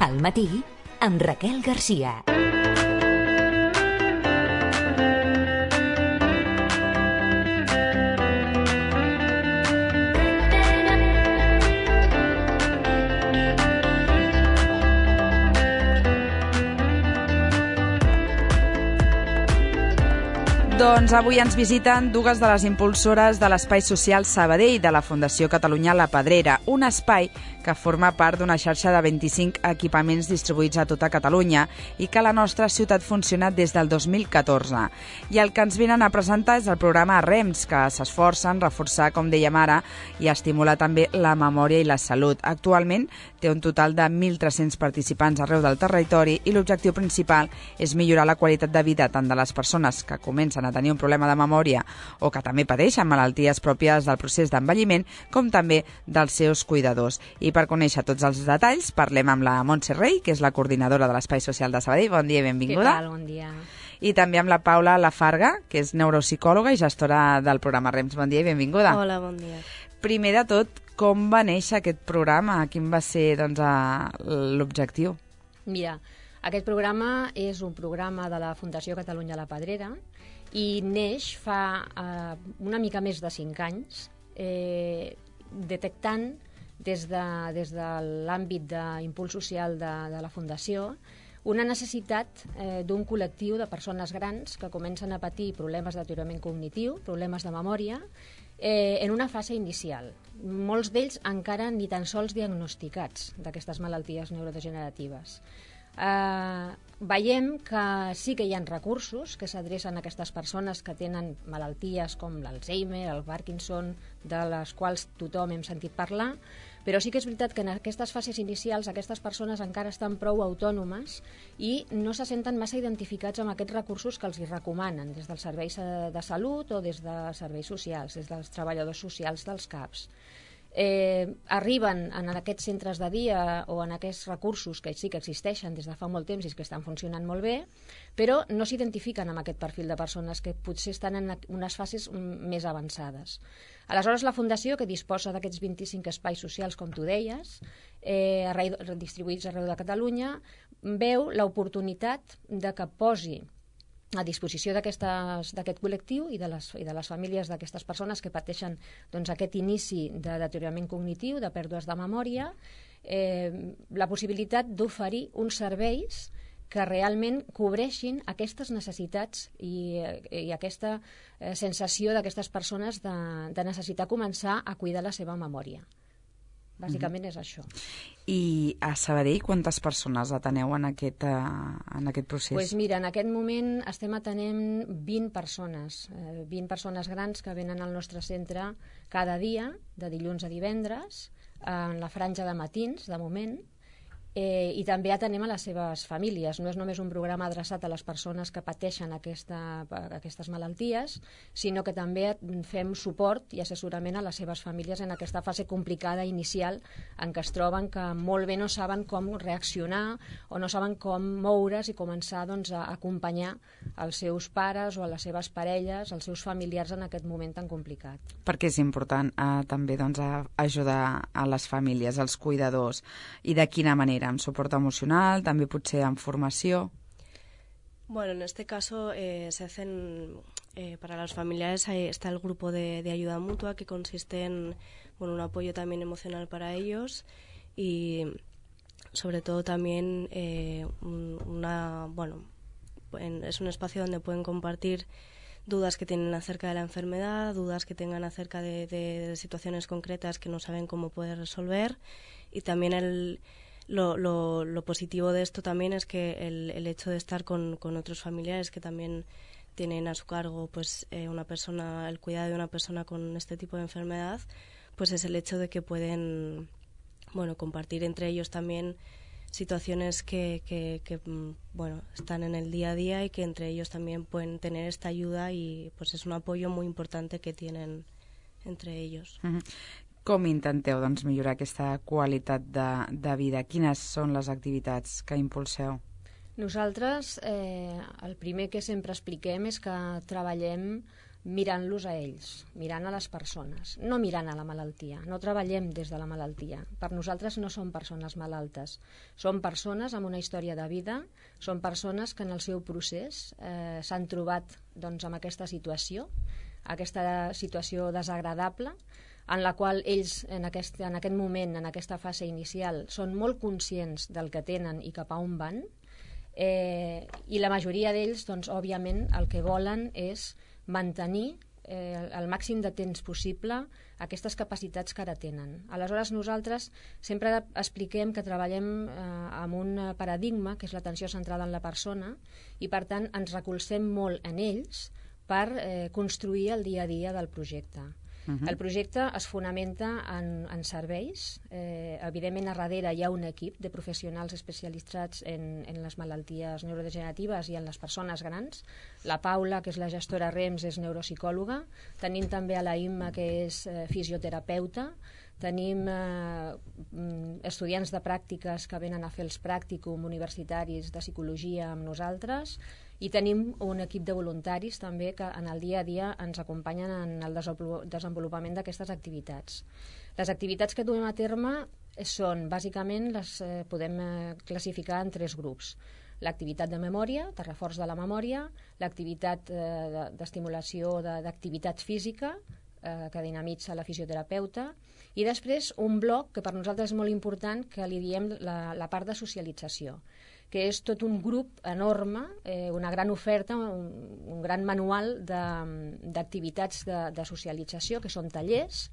Al matí, amb Raquel Garcia. Doncs avui ens visiten dues de les impulsores de l'Espai Social Sabadell de la Fundació Catalunya La Pedrera, un espai que forma part d'una xarxa de 25 equipaments distribuïts a tota Catalunya i que a la nostra ciutat funciona des del 2014. I el que ens venen a presentar és el programa REMS, que s'esforcen a reforçar, com dèiem ara, i a estimular també la memòria i la salut. Actualment té un total de 1.300 participants arreu del territori i l'objectiu principal és millorar la qualitat de vida tant de les persones que comencen a tenir un problema de memòria o que també pateixen malalties pròpies del procés d'envelliment, com també dels seus cuidadors. I per conèixer tots els detalls parlem amb la Montse Rey, que és la coordinadora de l'Espai Social de Sabadell. Bon dia i benvinguda. Què tal? Bon dia. I també amb la Paula Lafarga, que és neuropsicòloga i gestora del programa REMS. Bon dia i benvinguda. Hola, bon dia. Primer de tot, com va néixer aquest programa? Quin va ser l'objectiu? Mira, aquest programa és un programa de la Fundació Catalunya La Pedrera i neix fa una mica més de 5 anys, detectant des de l'àmbit d'impuls social de la Fundació una necessitat d'un col·lectiu de persones grans que comencen a patir problemes de deteriorament cognitiu, problemes de memòria, en una fase inicial. Molts d'ells encara ni tan sols diagnosticats d'aquestes malalties neurodegeneratives. Veiem que sí que hi ha recursos que s'adrecen a aquestes persones que tenen malalties com l'Alzheimer, el Parkinson, de les quals tothom hem sentit parlar, però sí que és veritat que en aquestes fases inicials aquestes persones encara estan prou autònomes i no se senten massa identificats amb aquests recursos que els hi recomanen des dels serveis de salut o des de serveis socials, des dels treballadors socials dels CAPs. Arriben en aquests centres de dia o en aquests recursos que sí que existeixen des de fa molt temps i que estan funcionant molt bé, però no s'identifiquen amb aquest perfil de persones que potser estan en unes fases més avançades. Aleshores, la Fundació, que disposa d'aquests 25 espais socials, com tu deies, distribuïts arreu de Catalunya, veu l'oportunitat de que posi a disposició d'aquest col·lectiu i de les famílies d'aquestes persones que pateixen aquest inici de deteriorament cognitiu, de pèrdues de memòria, la possibilitat d'oferir uns serveis que realment cobreixin aquestes necessitats i aquesta sensació d'aquestes persones de necessitar començar a cuidar la seva memòria. Bàsicament és això. I a Sabadell quantes persones ateneu en aquest procés? Doncs mira, en aquest moment estem atenent 20 persones grans que venen al nostre centre cada dia, de dilluns a divendres, en la franja de matins, de moment, i també atenem a les seves famílies. No és només un programa adreçat a les persones que pateixen aquestes malalties, sinó que també fem suport i assessorament a les seves famílies en aquesta fase complicada inicial en què es troben, que molt bé no saben com reaccionar o no saben com moure's i començar a acompanyar els seus pares o a les seves parelles, els seus familiars en aquest moment tan complicat. Perquè és important també ajudar a les famílies, als cuidadors, i de quina manera? ¿Amb suport emocional, también potser amb formació? Bueno, en este caso se hacen, para los familiares está el grupo de ayuda mutua que consiste en un apoyo también emocional para ellos y sobre todo también es un espacio donde pueden compartir dudas que tienen acerca de la enfermedad, dudas que tengan acerca de situaciones concretas que no saben cómo poder resolver, y también lo positivo de esto también es que el hecho de estar con otros familiares que también tienen a su cargo el cuidado de una persona con este tipo de enfermedad, pues es el hecho de que pueden compartir entre ellos también situaciones que están en el día a día y que entre ellos también pueden tener esta ayuda, y pues es un apoyo muy importante que tienen entre ellos. Uh-huh. Com intenteu millorar aquesta qualitat de vida? Quines són les activitats que impulseu? Nosaltres el primer que sempre expliquem és que treballem mirant-los a ells, mirant a les persones, no mirant a la malaltia. No treballem des de la malaltia. Per nosaltres no són persones malaltes. Són persones amb una història de vida, són persones que en el seu procés s'han trobat amb aquesta situació desagradable, en la qual ells en aquest moment, en aquesta fase inicial, són molt conscients del que tenen i cap a on van, i la majoria d'ells, òbviament, el que volen és mantenir el màxim de temps possible aquestes capacitats que ara tenen. Aleshores, nosaltres sempre expliquem que treballem amb un paradigma, que és l'atenció centrada en la persona, i per tant ens recolzem molt en ells per construir el dia a dia del projecte. El projecte es fonamenta en serveis. Evidentment, a darrere hi ha un equip de professionals especialitzats en les malalties neurodegeneratives i en les persones grans. La Paula, que és la gestora REMS, és neuropsicòloga. Tenim també a la Imma, que és fisioterapeuta. Tenim estudiants de pràctiques que venen a fer els pràcticum universitaris de psicologia amb nosaltres, i tenim un equip de voluntaris també que en el dia a dia ens acompanyen en el desenvolupament d'aquestes activitats. Les activitats que duem a terme són, bàsicament, les podem classificar en 3 grups. L'activitat de memòria, de reforç de la memòria, l'activitat d'estimulació d'activitat física, que dinamitza la fisioterapeuta, i després un bloc que per nosaltres és molt important, que li diem la part de socialització, que és tot un grup enorme, una gran oferta, un gran manual d'activitats de socialització, que són tallers,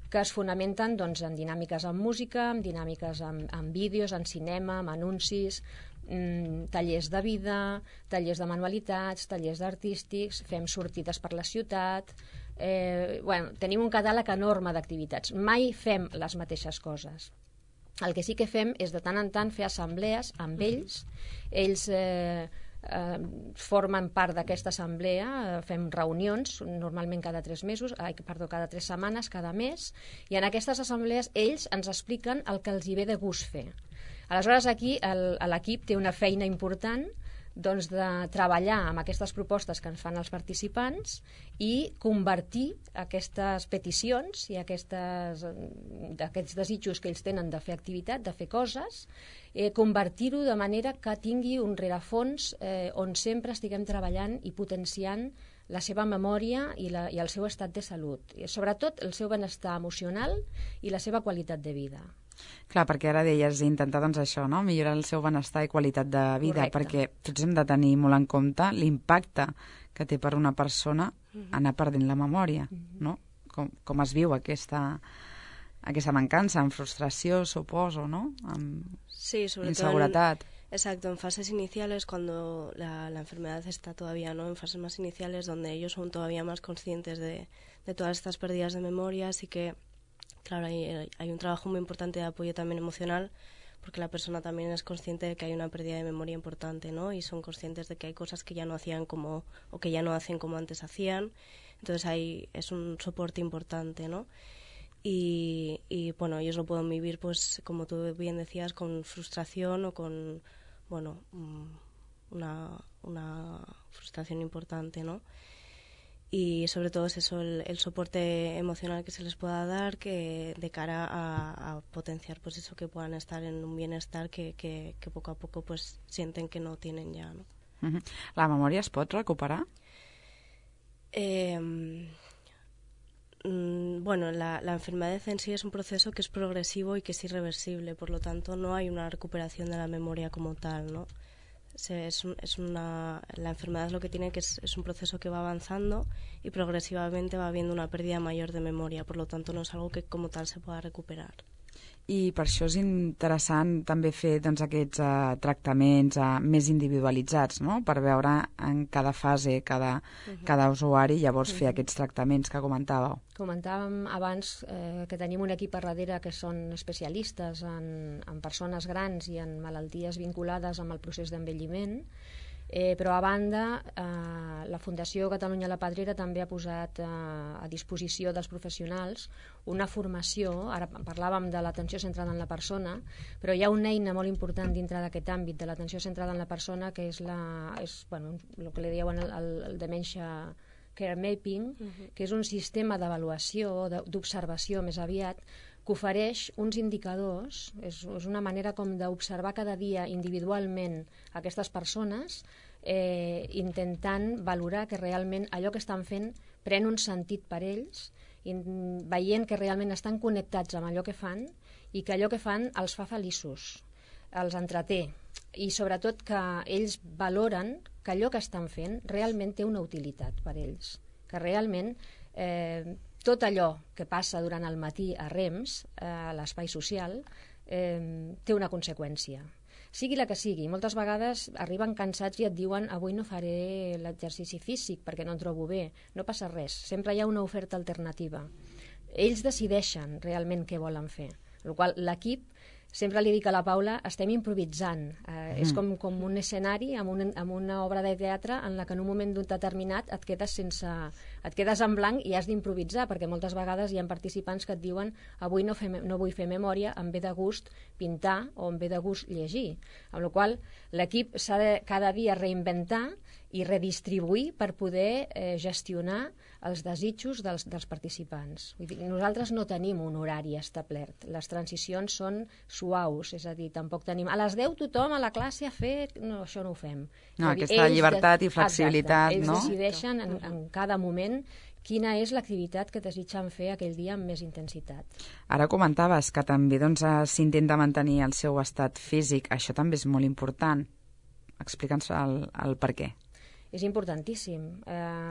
que es fonamenten en dinàmiques amb música, en dinàmiques amb vídeos, en cinema, amb anuncis, tallers de vida, tallers de manualitats, tallers artístics, fem sortides per la ciutat. Tenim un catàleg enorme d'activitats. Mai fem les mateixes coses. El que sí que fem és de tant en tant fer assemblees amb ells. Ells formen part d'aquesta assemblea, fem reunions normalment cada 3 setmanes, cada mes, i en aquestes assemblees ells ens expliquen el que els hi ve de gust fer. Aleshores, aquí l'equip té una feina important de treballar amb aquestes propostes que ens fan els participants i convertir aquestes peticions i aquests desitjos que ells tenen de fer activitat, de fer coses, convertir-ho de manera que tingui un rerefons on sempre estiguem treballant i potenciant la seva memòria i el seu estat de salut, i sobretot el seu benestar emocional i la seva qualitat de vida. Clar, perquè ara deies intentar això, no? Millorar el seu benestar i qualitat de vida. Correcte. Perquè tots hem de tenir molt en compte l'impacte que té per una persona anar perdent la memòria, no? Com es viu aquesta mancança, amb frustració, suposo, ¿no? Sí, sobre inseguridad. Exacto, en fases iniciales, cuando la enfermedad está todavía, ¿no? En fases más iniciales, donde ellos son todavía más conscientes de todas estas pérdidas de memoria, así que claro, hay un trabajo muy importante de apoyo también emocional, porque la persona también es consciente de que hay una pérdida de memoria importante, ¿no? Y son conscientes de que hay cosas que ya no hacían o que ya no hacen como antes hacían. Entonces es un soporte importante, ¿no? Y bueno, ellos lo pueden vivir, pues, como tú bien decías, con frustración o con, bueno, una frustración importante, ¿no? Y sobre todo es eso, el soporte emocional que se les pueda dar, que de cara a potenciar pues eso, que puedan estar en un bienestar que poco a poco pues sienten que no tienen ya, ¿no? La memòria es pot recuperar? Bueno, la enfermedad en sí es un proceso que es progresivo y que es irreversible, por lo tanto no hay una recuperación de la memoria como tal, ¿no? La enfermedad lo que tiene que es un proceso que va avanzando y progresivamente va habiendo una pérdida mayor de memoria, por lo tanto no es algo que como tal se pueda recuperar. I per això és interessant també fer aquests tractaments més individualitzats, no? Per veure en cada fase, cada usuari, llavors fer aquests tractaments que comentàveu. Comentàvem abans que tenim un equip a darrere que són especialistes en persones grans i en malalties vinculades amb el procés d'envelliment, però a banda la Fundació Catalunya La Pedrera també ha posat a disposició dels professionals una formació. Ara parlàvem de l'atenció centrada en la persona, però hi ha una eina molt important dintre d'aquest àmbit de l'atenció centrada en la persona, que és el que li diuen el demència Care Mapping, que és un sistema d'avaluació, d'observació més aviat, que ofereix uns indicadors, és una manera com d'observar cada dia individualment aquestes persones, intentant valorar que realment allò que estan fent pren un sentit per ells, veient que realment estan connectats amb allò que fan i que allò que fan els fa feliços, els entreté, i sobretot que ells valoren que allò que estan fent realment té una utilitat per ells, que realment tot allò que passa durant el matí a REMS, a l'espai social, té una conseqüència. Sigui la que sigui, moltes vegades arriben cansats i et diuen avui no faré l'exercici físic perquè no em trobo bé. No passa res, sempre hi ha una oferta alternativa. Ells decideixen realment què volen fer. Per la qual cosa l'equip, sempre li dic a la Paula, estem improvisant. És com un escenari amb una obra de teatre en la que en un moment determinat et quedes en blanc i has d'improvisar, perquè moltes vegades hi ha participants que et diuen avui no vull fer memòria, em ve de gust pintar o em ve de gust llegir. Amb la qual cosa l'equip s'ha de cada dia reinventar i redistribuir per poder gestionar els desitjos dels participants. Vull dir, nosaltres no tenim un horari establert. Les transicions són suaus, és a dir, tampoc tenim a les 10 tothom a la classe a fer... No, això no ho fem. No, aquesta llibertat i flexibilitat, exacte, no? Ells decideixen en cada moment quina és l'activitat que desitgen fer aquell dia amb més intensitat. Ara comentaves que també s'intenta mantenir el seu estat físic. Això també és molt important. Explica'ns el per què. És importantíssim.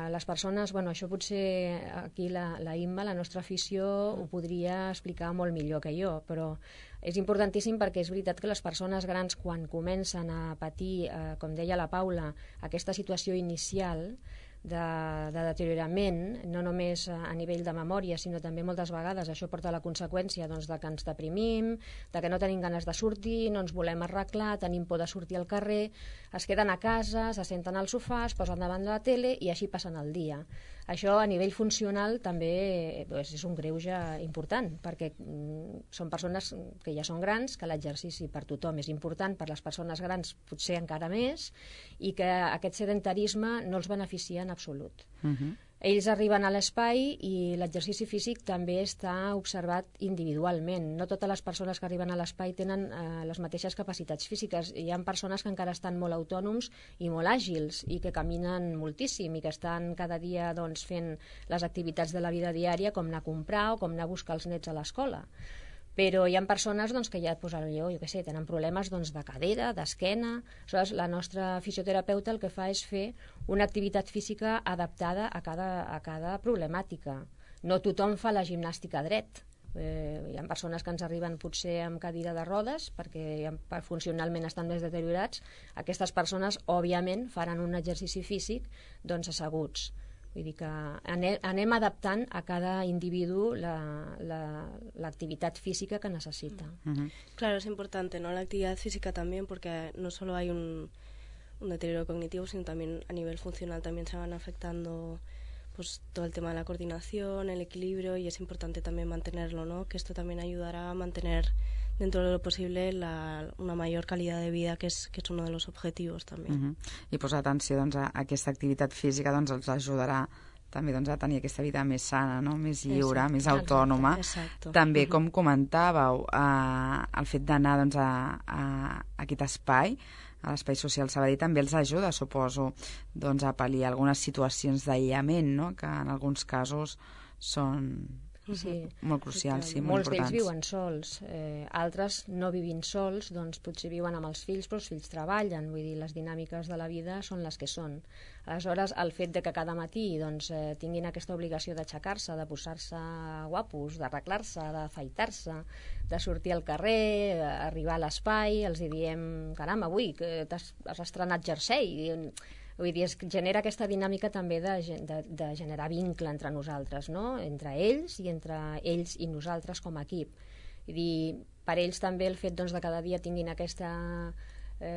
Les persones, això potser aquí la Imma, la nostra afició, ho podria explicar molt millor que jo, però és importantíssim perquè és veritat que les persones grans, quan comencen a patir, com deia la Paula, aquesta situació inicial de deteriorament, no només a nivell de memòria, sinó també moltes vegades això porta a la conseqüència de que ens deprimim, de que no tenim ganes de sortir, no ens volem arreglar, tenim por de sortir al carrer, es queden a casa, se senten al sofà, es posen davant de la tele i així passen el dia. Això a nivell funcional també és un greuge important, perquè són persones que ja són grans, que l'exercici per tothom és important, per les persones grans potser encara més, i que aquest sedentarisme no els beneficia en absolut. Ells arriben a l'espai i l'exercici físic també està observat individualment. No totes les persones que arriben a l'espai tenen les mateixes capacitats físiques. Hi ha persones que encara estan molt autònoms i molt àgils i que caminen moltíssim i que estan cada dia fent les activitats de la vida diària, com anar a comprar o com anar a buscar els nets a l'escola. Però hi ha persones que ja tenen problemes de cadera, d'esquena. Aleshores, la nostra fisioterapeuta el que fa és fer una activitat física adaptada a cada problemàtica. No tothom fa la gimnàstica dret. Hi ha persones que ens arriben potser amb cadira de rodes perquè funcionalment estan més deteriorats. Aquestes persones, òbviament, faran un exercici físic asseguts. Vull dir que anem adaptant a cada individu l'actividad física que necesita. Claro, es importante, ¿no? La actividad física también, porque no solo hay un deterioro cognitivo, sino también a nivel funcional también se van afectando pues todo el tema de la coordinación, el equilibrio, y es importante también mantenerlo, ¿no? Que esto también ayudará a mantener dentro de lo posible una mayor calidad de vida, que es uno de los objetivos també. I posar atenció a aquesta activitat física els ajudarà també a tenir aquesta vida més sana, no? Més lliure, més autònoma. Exacte. També, com comentàveu, el fet d'anar a aquest espai, a l'espai social Sabadell, també els ajuda, suposo, a pal·liar algunes situacions d'aïllament, no? Que en alguns casos són molt crucials, sí, molt importants. Molts d'ells viuen sols, altres no vivint sols, potser viuen amb els fills, però els fills treballen, vull dir, les dinàmiques de la vida són les que són. Aleshores, el fet de que cada matí tinguin aquesta obligació d'aixecar-se, de posar-se guapos, d'arreglar-se, d'afaitar-se, de sortir al carrer, arribar a l'espai, els diem, caram, avui que has estrenat jersei. Vull dir, es genera aquesta dinàmica també de generar vincle entre nosaltres, no? Entre ells i nosaltres com a equip. Vull dir, per ells també el fet de cada dia tinguin aquesta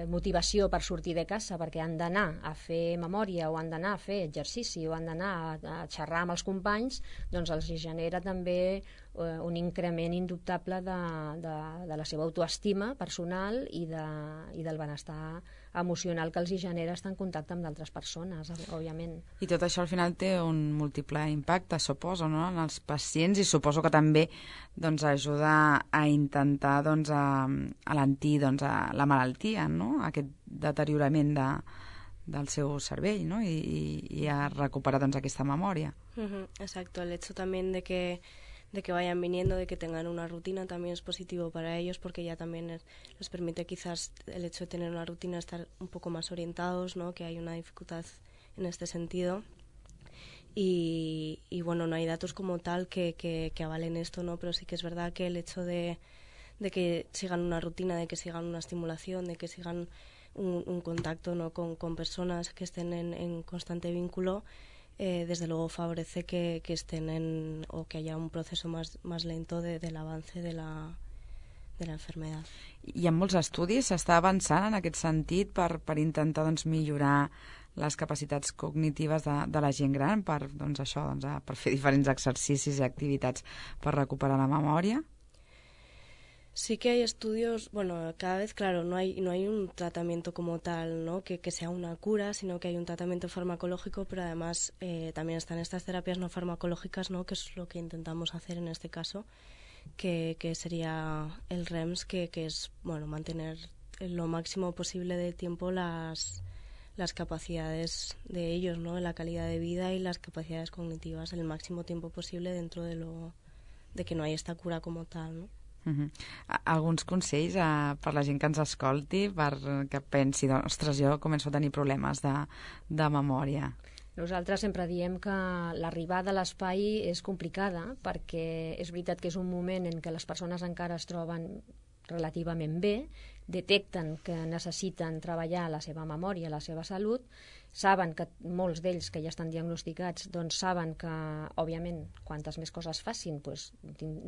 motivació per sortir de casa perquè han d'anar a fer memòria o han d'anar a fer exercici o han d'anar a xerrar amb els companys, els genera també un increment indubtable de la seva autoestima personal i del benestar emocional que els hi genera estar en contacte amb d'altres persones, òbviament. I tot això al final té un múltiple impacte, suposo, no?, en els pacients, i suposo que també doncs, ajuda a intentar doncs, alentir doncs, la malaltia, no?, aquest deteriorament del seu cervell, ¿no? y a recuperar doncs, aquesta memòria. Exacto, el hecho también de que vayan viniendo, de que tengan una rutina también es positivo para ellos, porque ya también les permite quizás el hecho de tener una rutina estar un poco más orientados, ¿no?, que hay una dificultad en este sentido. Y bueno, no hay datos como tal que avalen esto, ¿no?, pero sí que es verdad que el hecho de que sigan una rutina, de que sigan una estimulación, de que sigan un contacto, ¿no?, con personas que estén en constante vínculo, desde luego favorece que estén o que haya un proceso más lento del avance de la enfermedad. I en molts estudis s'està avançant en aquest sentit per intentar doncs, millorar les capacitats cognitives de la gent gran per fer diferents exercicis i activitats per recuperar la memòria? Sí que hay estudios, bueno, cada vez, claro, no hay un tratamiento como tal, ¿no?, que sea una cura, sino que hay un tratamiento farmacológico, pero además también están estas terapias no farmacológicas, ¿no?, que es lo que intentamos hacer en este caso, que sería el REMS, que es, bueno, mantener lo máximo posible de tiempo las capacidades de ellos, ¿no?, la calidad de vida y las capacidades cognitivas el máximo tiempo posible dentro de que no hay esta cura como tal, ¿no? Alguns consells per la gent que ens escolti perquè pensi, ostres, jo començo a tenir problemes de memòria? Nosaltres sempre diem que l'arribada a l'espai és complicada, perquè és veritat que és un moment en què les persones encara es troben relativament bé, detecten que necessiten treballar la seva memòria, la seva salut, saben que molts d'ells que ja estan diagnosticats doncs saben que, òbviament, quantes més coses facin doncs,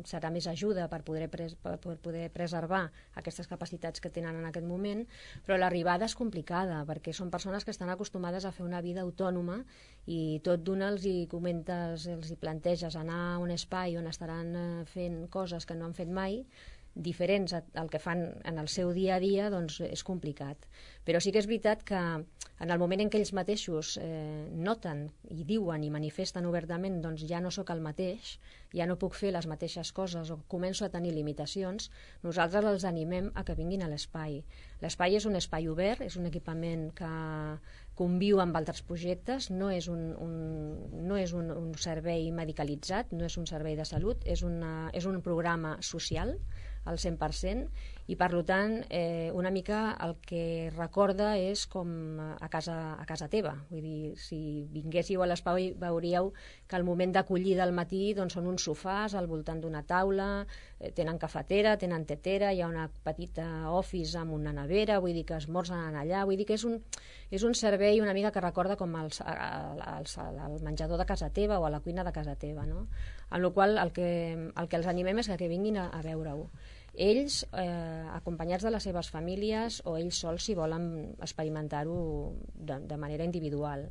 serà més ajuda per poder preservar aquestes capacitats que tenen en aquest moment, però l'arribada és complicada perquè són persones que estan acostumades a fer una vida autònoma i tot d'una els hi comentes, els hi planteges anar a un espai on estaran fent coses que no han fet mai, diferents al que fan en el seu dia a dia, doncs és complicat. Però sí que és veritat que en el moment en què ells mateixos noten i diuen i manifesten obertament doncs ja no sóc el mateix, ja no puc fer les mateixes coses o començo a tenir limitacions, nosaltres els animem a que vinguin a l'espai. L'espai és un espai obert, és un equipament que conviu amb altres projectes, no és un servei medicalitzat, no és un servei de salut, és un programa social al 100%, i per tant una mica el que recorda és com a casa teva. Vull dir, si vinguéssiu a l'espai veuríeu que al moment d'acollida al matí doncs, són uns sofàs al voltant d'una taula, tenen cafetera, tenen tetera, hi ha una petita office amb una nevera, vull dir que esmorzen allà, vull dir que és un servei una mica que recorda com el menjador de casa teva o a la cuina de casa teva, no? Amb la qual el que els animem és que vinguin a veure-ho. Ells, acompanyats de les seves famílies, o ells sols si volen experimentar-ho de manera individual.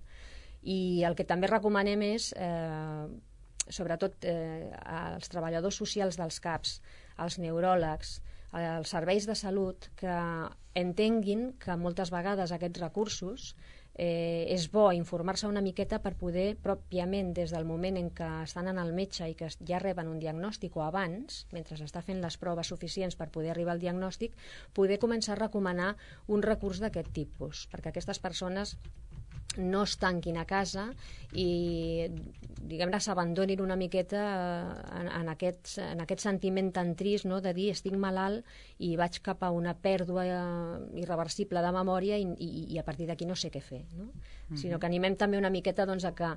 I el que també recomanem és, sobretot als treballadors socials dels CAPs, als neuròlegs, als serveis de salut, que entenguin que moltes vegades aquests recursos és bo informar-se una miqueta per poder pròpiament des del moment en què estan en el metge i que ja reben un diagnòstic o abans, mentre s'està fent les proves suficients per poder arribar al diagnòstic, poder començar a recomanar un recurs d'aquest tipus, perquè aquestes persones no es tanquin a casa i diguem-ne s'abandonin una miqueta en aquest sentiment tan trist, no?, de dir estic malalt i vaig cap a una pèrdua irreversible de memòria i a partir d'aquí no sé què fer, no? Sinó que animem també una miqueta doncs, a que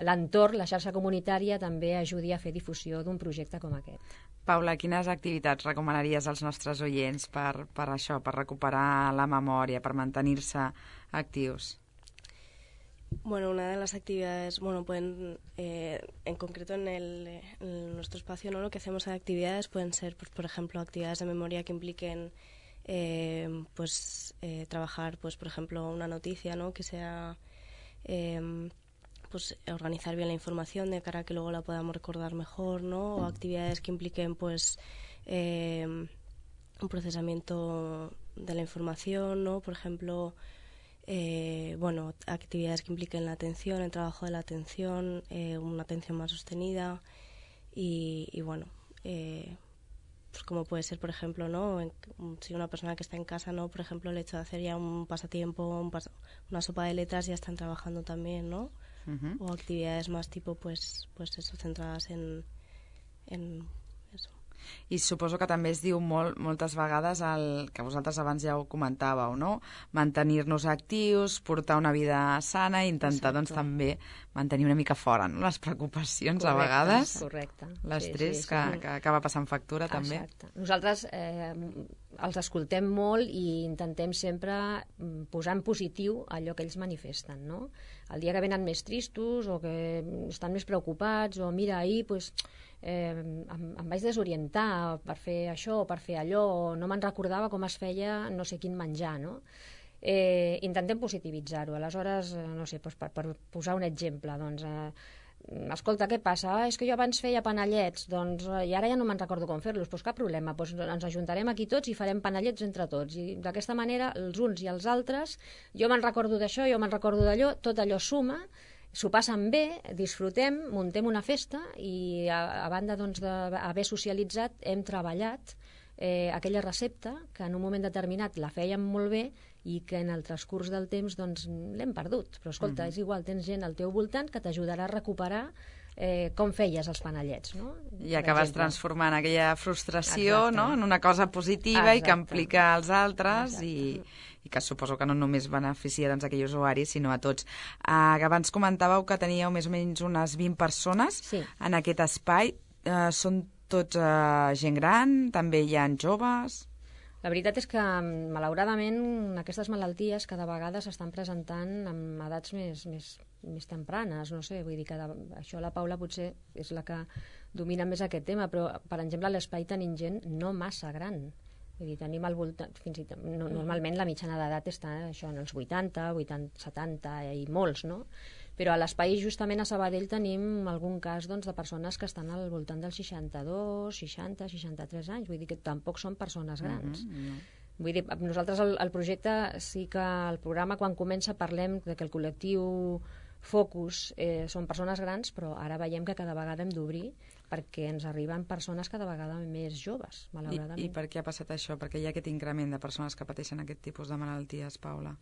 l'entorn, la xarxa comunitària també ajudi a fer difusió d'un projecte com aquest. Paula, quines activitats recomanaries als nostres oients per això, per recuperar la memòria, per mantenir-se actius? Bueno, una de las actividades, pueden, en concreto en nuestro espacio, ¿no?, lo que hacemos de actividades pueden ser, pues, por ejemplo, actividades de memoria que impliquen trabajar, pues, por ejemplo, una noticia, ¿no?, que sea pues organizar bien la información de cara a que luego la podamos recordar mejor, ¿no? O actividades que impliquen pues un procesamiento de la información, ¿no? Por ejemplo, actividades que impliquen la atención, el trabajo de la atención, una atención más sostenida pues como puede ser, por ejemplo, ¿no? Si una persona que está en casa, ¿no? Por ejemplo, el hecho de hacer ya un pasatiempo, una sopa de letras, ya están trabajando también, ¿no? Uh-huh. O actividades más tipo, pues eso, centrades en eso. I suposo que també es diu moltes vegades el que vosaltres abans ja ho comentàveu, no? Mantenir-nos actius, portar una vida sana i intentar doncs, també mantenir una mica fora, no? Les preocupacions a vegades. Correcte. L'estrès que acaba passant factura també. Exacte. Nosaltres els escoltem molt i intentem sempre posar en positiu allò que ells manifesten, no? El dia que venen més tristos o que estan més preocupats o mira, ahir pues, em vaig desorientar per fer això o per fer allò o no me'n recordava com es feia no sé quin menjar, no? Intentem positivitzar-ho. Aleshores, no sé, doncs per posar un exemple, doncs, escolta, què passa? És que jo abans feia panellets, doncs, i ara ja no me'n recordo com fer-los, doncs cap problema, doncs ens ajuntarem aquí tots i farem panellets entre tots, i d'aquesta manera els uns i els altres, jo me'n recordo d'això, jo me'n recordo d'allò, tot allò suma, s'ho passen bé, disfrutem, muntem una festa i a banda doncs, d'haver socialitzat hem treballat aquella recepta que en un moment determinat la fèiem molt bé i que en el transcurs del temps doncs, l'hem perdut. Però escolta, és igual, tens gent al teu voltant que t'ajudarà a recuperar com feies els panellets, no? I acabes transformant aquella frustració, no? En una cosa positiva. Exacte. I que implica els altres i que suposo que no només beneficia doncs, aquells usuaris, sinó a tots. Abans comentàveu que teníeu més o menys unes 20 persones en aquest espai. Són tots gent gran? També hi ha joves? La veritat és que, malauradament, aquestes malalties cada vegada s'estan presentant amb edats més tempranes, no sé, vull dir que això la Paula potser és la que domina més aquest tema, però, per exemple, a l'espai tenim gent no massa gran. Vull dir, tenim al voltant, fins i tot, normalment la mitjana d'edat està això, en els 80, 70 i molts, no? Però a l'espai, justament a Sabadell, tenim algun cas doncs, de persones que estan al voltant dels 62, 60, 63 anys. Vull dir que tampoc són persones grans. Vull dir, nosaltres el projecte, sí que el programa, quan comença, parlem de que el col·lectiu focus són persones grans, però ara veiem que cada vegada hem d'obrir perquè ens arriben persones cada vegada més joves, malauradament. I per què ha passat això? Perquè hi ha aquest increment de persones que pateixen aquest tipus de malalties, Paula.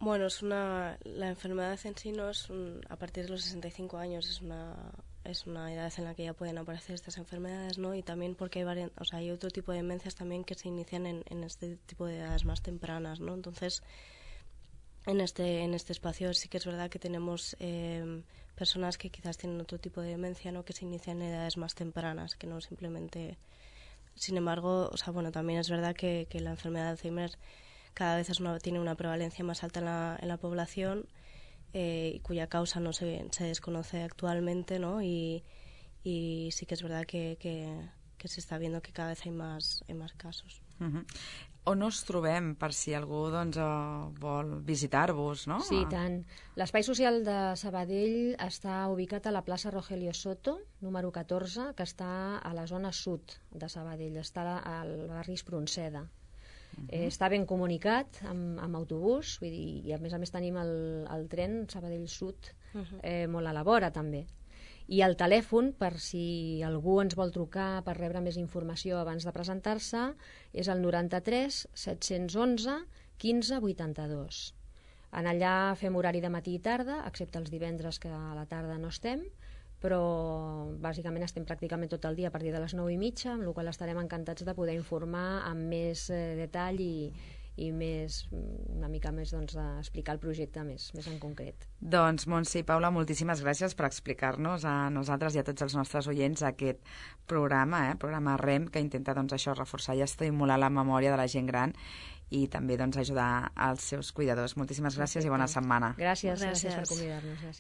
Bueno, la enfermedad en sí no es a partir de los 65 años, es una edad en la que ya pueden aparecer estas enfermedades, ¿no? Y también porque hay otro tipo de demencias también que se inician en este tipo de edades más tempranas, ¿no? Entonces, en este espacio sí que es verdad que tenemos personas que quizás tienen otro tipo de demencia, ¿no? Que se inician en edades más tempranas, que no simplemente... Sin embargo, también es verdad que la enfermedad de Alzheimer cada vez tiene una prevalencia más alta en la población y cuya causa no se desconoce actualmente, ¿no? Y sí que es verdad que se está viendo que cada vez hay más casos. Uh-huh. On us trobem per si algú doncs, vol visitar-vos, no? Sí, tant. L'espai social de Sabadell està ubicat a la plaça Rogelio Soto, número 14, que està a la zona sud de Sabadell, està al barri Espronceda. Està ben comunicat amb autobús, vull dir, i a més tenim el tren Sabadell Sud molt a la vora també. I el telèfon, per si algú ens vol trucar per rebre més informació abans de presentar-se, és el 93 711 15 82. En allà fem horari de matí i tarda, excepte els divendres que a la tarda no estem, però bàsicament estem pràcticament tot el dia a partir de les 9:30, amb la qual estarem encantats de poder informar amb més detall i una mica més d'explicar el projecte més en concret. Doncs Montse i Paula, moltíssimes gràcies per explicar-nos a nosaltres i a tots els nostres oients aquest programa, programa REM, que intenta això reforçar i estimular la memòria de la gent gran i també ajudar als seus cuidadors. Moltíssimes gràcies i bona setmana. Gràcies per convidar-nos.